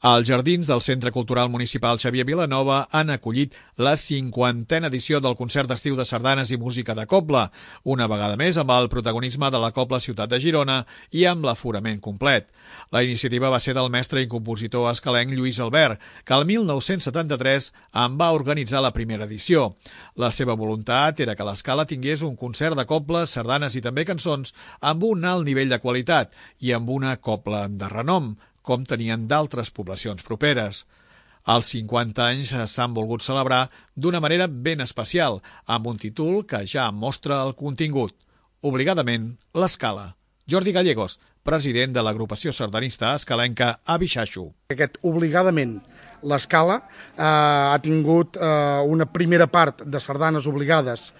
Els jardins del Centre Cultural Municipal Xavier Vilanova han acollit la 50a edició del concert d'estiu de sardanes i música de cobla, una vegada més amb el protagonisme de la Cobla Ciutat de Girona i amb l'aforament complet. La iniciativa va ser del mestre i compositor escalenc Lluís Albert, que el 1973 en va organitzar la primera edició. La seva voluntat era que l'Escala tingués un concert de cobla, sardanes i també cançons amb un alt nivell de qualitat i amb una cobla de renom, com tenien d'altres poblacions properes. Els 50 anys s'han volgut celebrar d'una manera ben especial, amb un títol que ja mostra el contingut. Obligadament, l'Escala. Jordi Gallegos, president de l'agrupació sardanista escalenca Abixaixo. Aquest obligadament, l'Escala ha tingut una primera part de sardanes obligades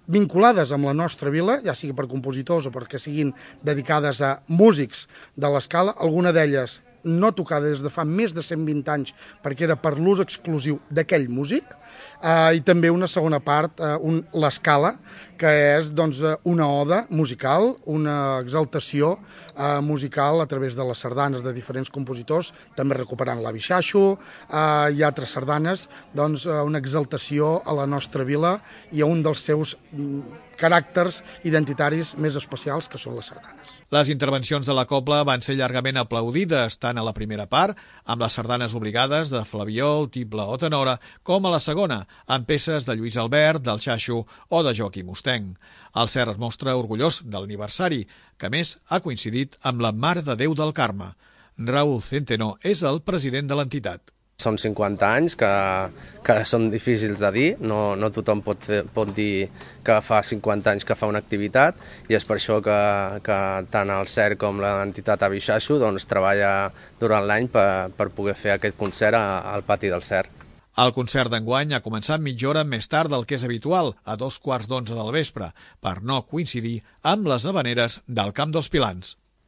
vinculades amb la nostra vila, ja sigui per compositors o perquè siguin dedicades a músics de l'Escala, alguna d'elles no tocada des de fa més de 120 anys perquè era per l'ús exclusiu d'aquell músic, i també una segona part, l'Escala, que és una oda musical, una exaltació musical a través de les sardanes de diferents compositors, també recuperant l'Abixaixo i altres sardanes, una exaltació a la nostra vila i a un dels seus caràcters identitaris més especials, que són les sardanes. Les intervencions de la cobla van ser llargament aplaudides, tant a la primera part, amb les sardanes obligades de Flabiol, Tible o Tenora, com a la segona, amb peces de Lluís Albert, del Xaixo o de Joaquim Ostenc. El CER es mostra orgullós de l'aniversari, que a més ha coincidit amb la Mare de Déu del Carme. Raúl Centeno és el president de l'entitat. Són 50 anys que són difícils de dir, no tothom pot dir que fa 50 anys que fa una activitat i és per això que tant el CER com l'entitat Abixaixo treballa durant l'any per poder fer aquest concert al pati del CER. El concert d'enguany ha començat mitja hora més tard del que és habitual, a 2:15 del vespre, per no coincidir amb les havaneres del Camp dels Pilans.